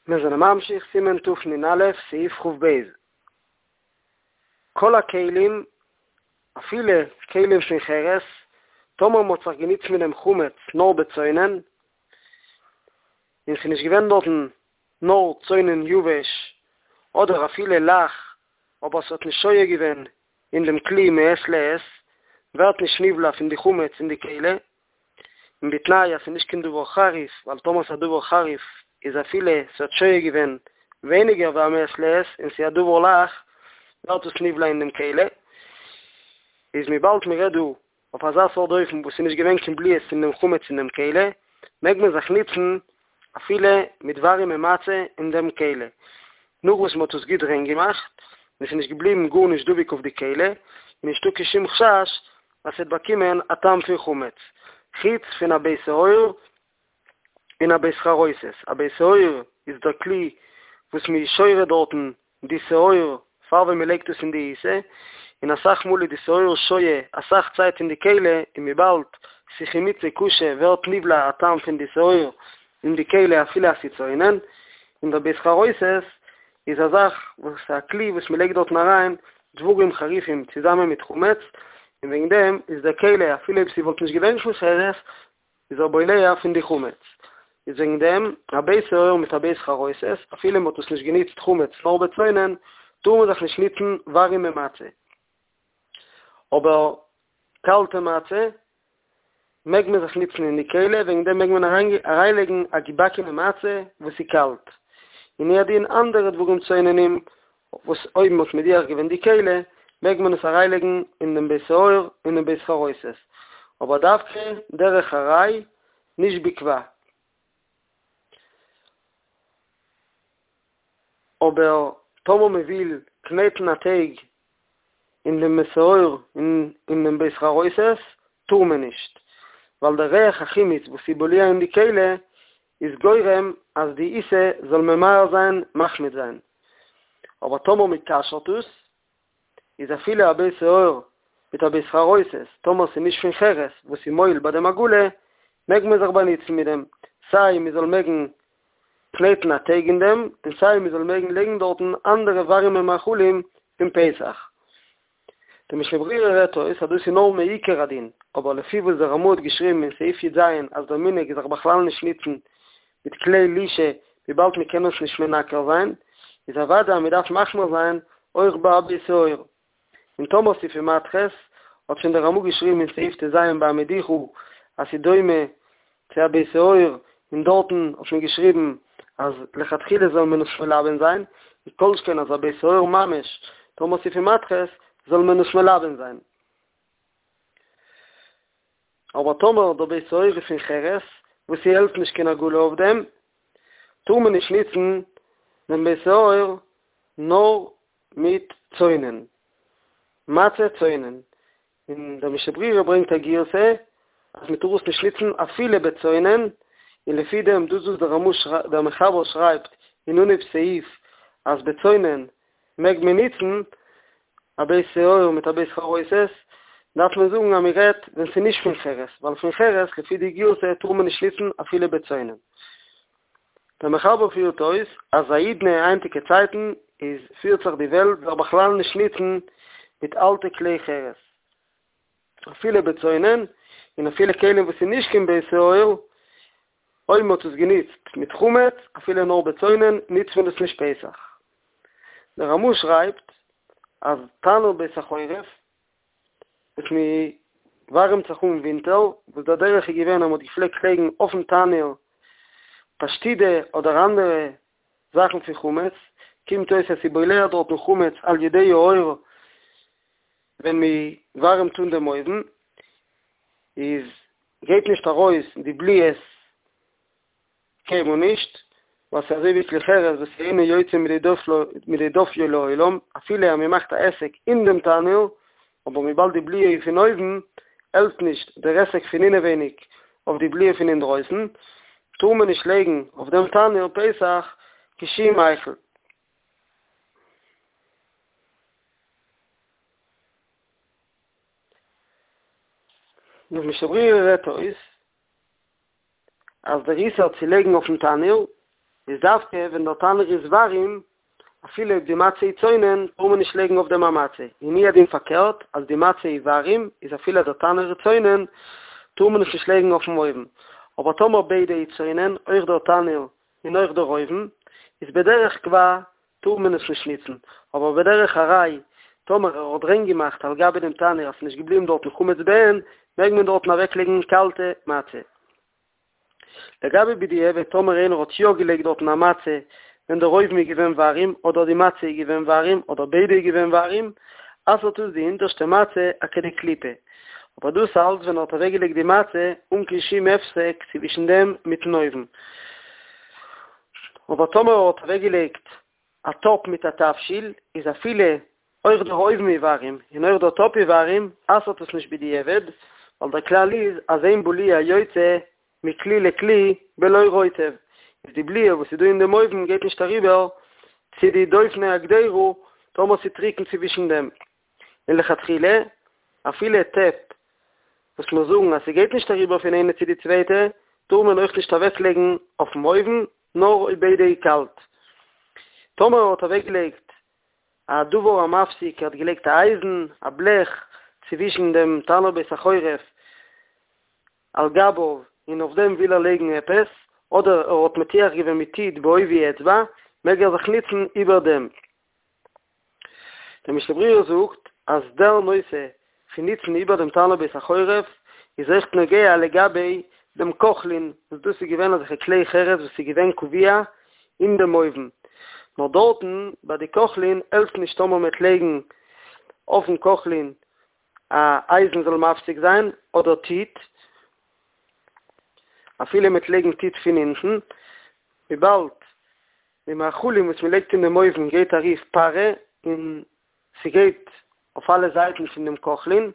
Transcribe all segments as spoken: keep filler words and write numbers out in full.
מיר זענען ממשיך, סימן תנ"א, סעיף כ"ב. כל הכלים, אפילו כלים פון חרס, טאמער מ'האט זיך גענוצט מיט דעם חמץ נאר בצונן, און ס'איז נישט געווען דארטן נאר צונן יבש, אדער אפילו לח, אבער ס'האט נישט שוהה געווען אין דעם כלי מעת לעת, ווערט נישט נבלע פון די חמץ אין די כלי, און בתנאי אז ס'איז נישט קיין דבר חריף, ווייל טאמער ס'איז א דבר חריף איז אפילו ס'האט שוהה געווען ווייניגער ווי א מעת לעת און ס'איז א דבר לח, ווערט עס נבלע אין דעם כלי. איז וויבאלד מ'רעדט דא אויף אזא סארט אופן וואס ס'איז נישט געווען קיין בליעות פון דעם חמץ אין דעם כלי, מעג מען זיך נוצן אפילו מיט ווארימע מצה אין דעם כלי, נאך וואס מ'האט עס גוט ריין געמאכט און ס'איז נישט געבליבן גארנישט דבוק אויף די כלי, איז נישטא קיין שום חשש אז ס'וועט באקומען א טעם פון חמץ, חוץ פון א בית שאור און א בית חרוסת, א בית שאור איז דער כלי וואס מ'איז שורה דארטן די שאור פאר ווען מ'לייגט עס אין די עיסה, און אסאך מאל איז די שאור שוהה אסאך צייט אין די כלי, און וויבאלד ס'איז חימוצו קשה ווערט נבלע א טעם פון די שאור אין די כלי אפילו אז ס'איז צונן, און דער בית חרוסת איז א זאך וואס א כלי וואס מ'לייגט דארטן אריין דברים חריפים צוזאמען מיט חמץ, און וועגן דעם איז דער כלי אפילו אויב ס'וואלט נישט געווען פון חרס איז ער בולע פון די חמץ, איז וועגן דעם א בית שאור מיט א בית חרוסת אפילו מ'האט עס נישט גענוצט חמץ נאר בצונן טאר מען זיך נישט נוצן ווארימע מצה, אבער קאלטע מצה מעג מען זיך נוצן אין די כלי, וועגן דעם מעג מען אריינלייגן א געבאקענע מצה וואס איז קאלט, און הוא הדין אנדערע דברים צוננים וואס אויב מ'האט מדיח געווען די כלי מעג מען עס אריינלייגן אין דעם בית שאור און דעם בית חרוסת, אבער דווקא דרך עראי נישט בקבע. אבער טאמער מען וויל קנעטן א טייג אין דעם בית שאור און אין דעם בית חרוסת טאר מען נישט, ווייל דער ריח החימוץ וואס איז בולע אין די כלי איז גורם אז די עיסה זאל ממהר זיין מחמיץ זיין. אבער טאמער מען כשר'ט עס, איז אפילו א בית שאור מיט א בית חרוסת, טאמער ס'איז נישט פון חרס וואס איז מועיל ביי דעם הגעלה, מעג מען זיך באנוצן מיט דעם, סיי מען זאל מעגן קנעטן א טייג אין דעם, און סיי מען זאל מעגן לייגן דארטן אנדערע ווארימע מאכלים פון פסח. די משנה ברורה רעדט אויס אז דאס איז נאר מעיקר הדין, אבער לפי וואס דער רמ"א האט געשריבן אין סעיף י"ז אז דער מנהג איז זיך בכלל נישט נוצן מיט כלי לישה וויבאלד מען קען עס נישט מנקר זיין, איז אוודאי אז מען דארף מחמיר זיין אויך ביי א בית שאור. און טאמער ס'איז פון מתכות, האט שוין דער רמ"א געשריבן אין סעיף ט"ז ביי המדיחה אז ס'איז דומה צו א בית שאור, און דארטן האט מען געשריבן אז לכתחילה זאל מען עס מלבן זיין, כל שכן אז א בית שאור ממש, טאמער ס'איז פון מתכות, זאל מען עס מלבן זיין. אבער טאמער דער בית שאור איז פון חרס, וואס ס'העלפט נישט קיין הגעלה אויף דעם, טאר מען נישט נוצן דעם בית שאור נאר מיט צונן, מצה צונן, און דער משנה ברורה ברענגט א גירסא אז מען טאר עס נישט נוצן אפילו בצונן, און לפי דעם דאס וואס דער רמ"א דער מחבר שרייבט אין אנהויב סעיף אז בצונן מעג מען נוצן א בית שאור מיט א בית חרוסת, דארף מען זאגן אז מען רעדט ווען ס'איז נישט פון חרס, ווייל פון חרס לפי די גירסא טאר מען נישט נוצן אפילו בצונן. דער מחבר פירט אויס אז האידנא היינטיגע צייטן איז פירט זיך די וועלט זיך בכלל נישט נוצן מיט אלטע כלי חרס אפילו בצונן און אפילו כלים וואס איז נישט קיין בית שאור, אויב מען האט עס גענוצט מיט חמץ אפילו נאר בצונן נוצט מען עס נישט פסח. דער רמ"א שרייבט אז תנור בית החורף וואס מען ווארעמט זיך אן ווינטער, וואס דער דרך איז געווען אז מען האט געפלעגט לייגן אויפן תנור פשטידע אדער אנדערע זאכן פון חמץ, קומט אויס אז ס'איז בולע דארטן חמץ על ידי האור ווען מען ווארעמט אן דעם אויוון, איז גייט נישט ארויס די בליעות קיינמאל נישט, ווייל ס'איז אזוי ווי כלי חרס וואס אינו יוצא מידי דופיו לעולם, אפילו אז מ'מאכט א היסק אין דעם תנור, אבער וויבאלד די בליעה איז פון אויבן, העלפט נישט דער היסק פון אינעווייניג אויף די בליעה פון אינדרויסן, טאר מען נישט לייגן אויף דעם תנור פסח קיין שום מאכל. דער משנה ברורה רעדט אויס אז דער איסור צו לייגן אויפן תנור איז דווקא ווען דער תנור איז ווארים, אפילו אויב די מצה איז צונן, טאר מען נישט לייגן אויף דעם א מצה. און הוא הדין פארקערט, אז די מצה איז ווארים, איז אפילו דער תנור איז צונן, טאר מען עס נישט לייגן אויפן אויוון. אבער טאמער ביידע איז צונן, אויך דער תנור און אויך דער אויוון, איז בדרך קבע טאר מען עס נישט ניצן, אבער בדרך עראי, טאמער ער האט ריין געמאכט על גבי דעם תנור אז ס'איז נישט געבליבן דארטן חמץ בעין, מעג מען דארטן אוועקלייגן קאלטע מצה. לגבי בדיעבד טאמער איינער האט יא געלייגט דארטן א מצה ווען דער אויוון איז געווען ווארים אדער די מצה איז געווען ווארים אדער ביידע איז געווען ווארים, אסר'ט עס די אונטערשטע מצה א כדי קליפה. אבער דאס אלץ ווען ער האט אוועקגעלייגט די מצה אן קיין שום הפסק צווישן דעם מיטן אויוון. אבער טאמער ער האט אוועקגעלייגט א טאפ מיט א תבשיל, איז אפילו אויך דער אויוון איז ווארים און אויך דער טאפ איז ווארים, אסר'ט עס נישט בדיעבד, ווייל דער כלל איז אז אין בליעה יוצא מכלי לכלי בלא רוטב, איז די בליעה וואס איז דא אין דעם אויוון גייט נישט אריבער צו די דופני הקדירה טאמער ס'איז טריקן צווישן דעם. און לכתחילה, אפילו טעפ וואס מיר זאגן אז ס'גייט נישט אריבער פון איינע צו די צווייטע, טאר מען אויך נישט אוועקלייגן אויפן אויוון, נאר אויב ביידע איז קאלט. טאמער ער האט אוועקגעלייגט א דבר המפסיק, ער האט געלייגט א אייזן, א בלעך, צווישן דעם תנור בית החורף על גביו, און אויף דעם וויל ער לייגן עפעס, אדער ער האט מטיח געווען מיט טיט בעובי אצבע, מעג ער זיך נוצן איבער דעם. דער משנה ברורה זאגט אז דער נושא פון נוצן איבער דעם תנור בית החורף איז אויכט נוגע לגבי דעם קוכלין, וואס דאס איז געווען אזעלכע כלי חרס וואס איז געווען קבוע אין דעם אויוון, נאר דארטן ביי די קוכלין העלפט נישט טאמער מ'וועט לייגן אויפן קוכלין א אייזן זאל מפסיק זיין אדער טיט, אפילו מ'וועט לייגן טיט פון אונטן, וויבאלד די מאכלים וואס מ'לייגט אין דעם אויוון גייט ארויף פארע און ס'גייט אויף אלע זייטן פון דעם קוכלין,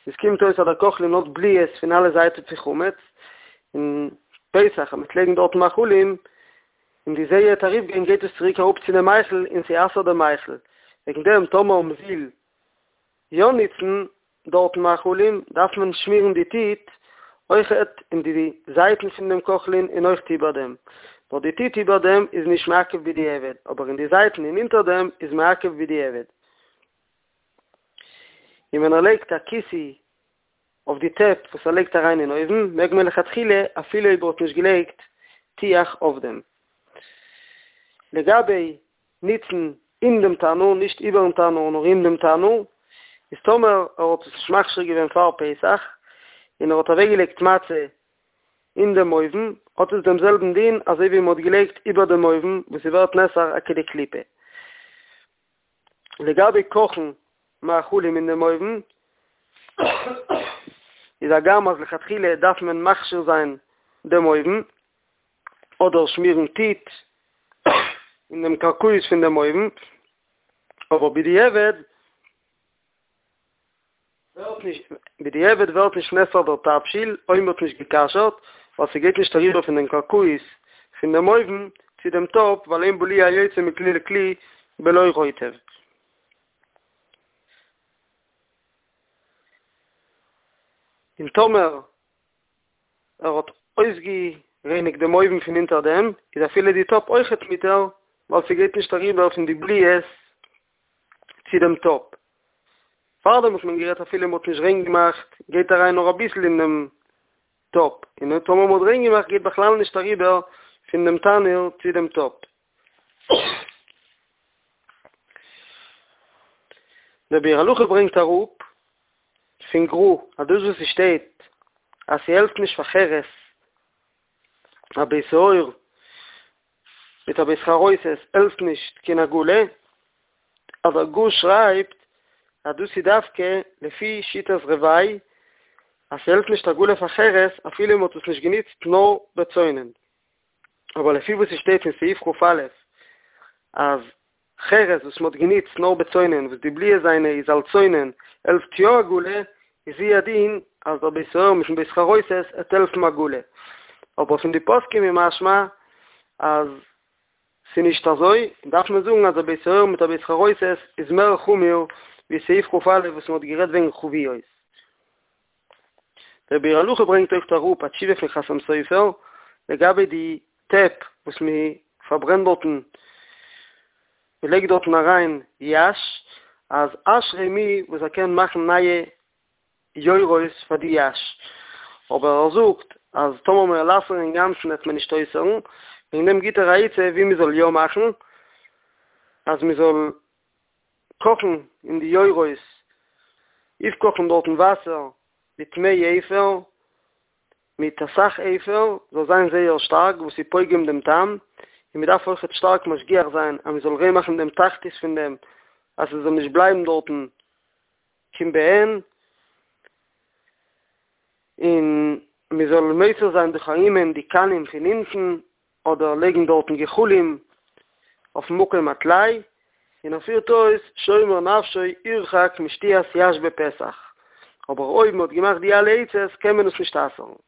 עס קומט אויס אז דער קוכלין האט בליעות פון אלע זייטן פון חמץ, און פסח אז מ'וועט לייגן דארטן מאכלים און די זיעה וועט ארויפגיין גייט עס צוריק אראפ צו דעם מאכל און ס'אסר'ט דעם מאכל, וועגן דעם טאמער מ'וויל יא נוצן דארטן מאכלים דארף מען שמירן די טיט אויכעט אין די זייטן פון דעם קוכלין און אויכט איבער דעם, נאר די טיט איבער דעם איז נישט מעכב בדיעבד, אבער אין די זייטן און אונטער דעם איז מעכב בדיעבד. און ווען ער לייגט א כיסוי אויף די טעפ וואס ער לייגט אריין אין אויוון, מעג מען לכתחילה אפילו אויב ער האט נישט געלייגט טיח אויף דעם. לגבי ניצן אין דעם תנור, נישט איבערן תנור נאר אין דעם תנור, איז טאמער ער האט עס נישט מכשיר געווען פאר פסח, און ער האט אוועקגעלייגט מצה אין דעם אויוון, האט עס דעם זעלבן דין אזוי ווי מען האט געלייגט איבער דעם אויוון וואס ס'ווערט נאסר א כדי קליפה. לגבי קאכן מאכלים אין דעם אויוון, איז הגם אז לכתחילה דארף מען מכשיר זיין דעם אויוון, אדער שמירן טיט אין דעם קרקעית פון דעם אויוון, אבער בדיעבד ווערט נישט, בדיעבד ווערט נישט נאסר דער תבשיל אויב מ'האט נישט געכשר'ט, ווייל ס'גייט נישט אריבער פון דעם קרקעית פון דעם אויוון צו דעם טאפ, ווייל אין בליעה יוצא מכלי לכלי בלא רוטב. און טאמער ער האט אויסגערייניגט דעם אויוון פון אונטער דעם, איז אפילו די טאפ אויכעט מותר, ווייל ס'גייט נישט אריבער פון די בליעות צו דעם טאפ. פארדעם האט מען גערעדט אפילו מ'האט נישט ריין געמאכט, גייט אריין נאר אביסל אין דעם טאפ, און טאמער מ'האט ריין געמאכט גייט בכלל נישט אריבער פון דעם תנור צו דעם טאפ. דער ביאור הלכה ברענגט אראפ פון גר"א אז דאס וואס ס'שטייט אז ס'העלפט נישט פאר חרס א בית האור מיט א בית חרוסת העלפט נישט קיין הגעלה, אז דער גר"א שרייבט אז דאס איז דווקא לפי שיטת רביי אז ס'העלפט נישט הגעלה פאר חרס אפילו מ'האט עס נישט גענוצט נאר בצונן, אבער לפי וואס ס'שטייט אין סעיף כ"א אז חרס וואס מ'האט גענוצט נאר בצונן וואס די בליעה זיינע איז על צונן העלפט יא הגעלה, איז הוא הדין אז דער בית האור מיטן בית חרוסת עט העלפן הגעלה. אבער פון די פוסקים איז משמע אז ס'נישט אזוי, דארף מען זאגן אז דער בית האור מיט א בית חרוסת איז מער חמור ווי סעיף כ"א וואס מ'האט גערעדט וועגן חביות. דער ביאור הלכה ברענגט אויך אראפ א תשובה פון חתם סופר לגבי די טעפ וואס מען פארברענט דארטן, מען לייגט דארטן אריין יש, אז אשרי מי וואס ער קען מאכן נייע יורות פאר די יש, אבער ער זאגט אז טאמער מען וועל אסר'ן אינגאנצן וועט מען נישט אויסהערן, וועגן דעם גיט ער א עצה ווי מען זאל יא מאכן, אז מען זאל קאכן אין די יורות, אויפקאכן דארטן וואסער מיט מי אפר, מיט אסאך אפר, זאל זיין זייער שטארק וואס איז פוגם דעם טעם, און מען דארף אויכעט שטארק משגיח זיין אז מען זאל ריין מאכן דעם תחתית פון דעם אז עס זאל נישט בלייבן דארטן קיין בעין, און מען זאל מסיר זיין דורך ארומנעמען די קנים פון אונטן, אדער לייגן דארטן גחלים אויפן מקום הטלאי, און ער פירט אויס שומר נפשו ירחק משתיית יש בפסח, אבער אויב מען האט געמאכט די אלע עצות קען מען עס נישט אסר'ן.